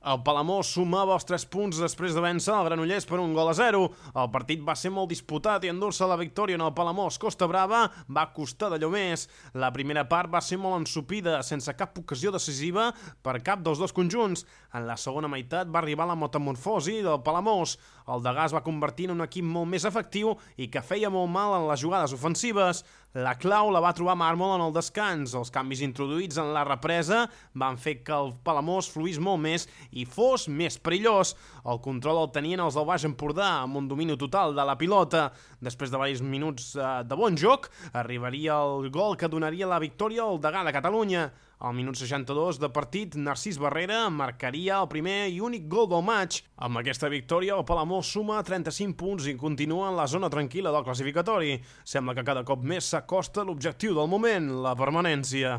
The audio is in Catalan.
El Palamós sumava els 3 punts després de vèncer el Granollers per 1-0. El partit va ser molt disputat i endur-se la victòria en el Palamós Costa Brava va costar d'allò més. La primera part va ser molt ensopida, sense cap ocasió decisiva per cap dels dos conjunts. En la segona meitat va arribar la metamorfosi del Palamós. El Degà es va convertir en un equip molt més efectiu i que feia molt mal en les jugades ofensives. La clau la va trobar Màrmol en el descans. Els canvis introduïts en la represa van fer que el Palamós fluís molt més i fos més perillós. El control el tenien els del Baix Empordà, amb un domini total de la pilota. Després de diversos minuts de bon joc, arribaria el gol que donaria la victòria al Degà de Catalunya. Al minut 62 de partit, Narcís Barrera marcaria el primer i únic gol del maig. Amb aquesta victòria, el Palamós suma 35 punts i continua en la zona tranquil·la del classificatori. Sembla que cada cop més s'acosta l'objectiu del moment, la permanència.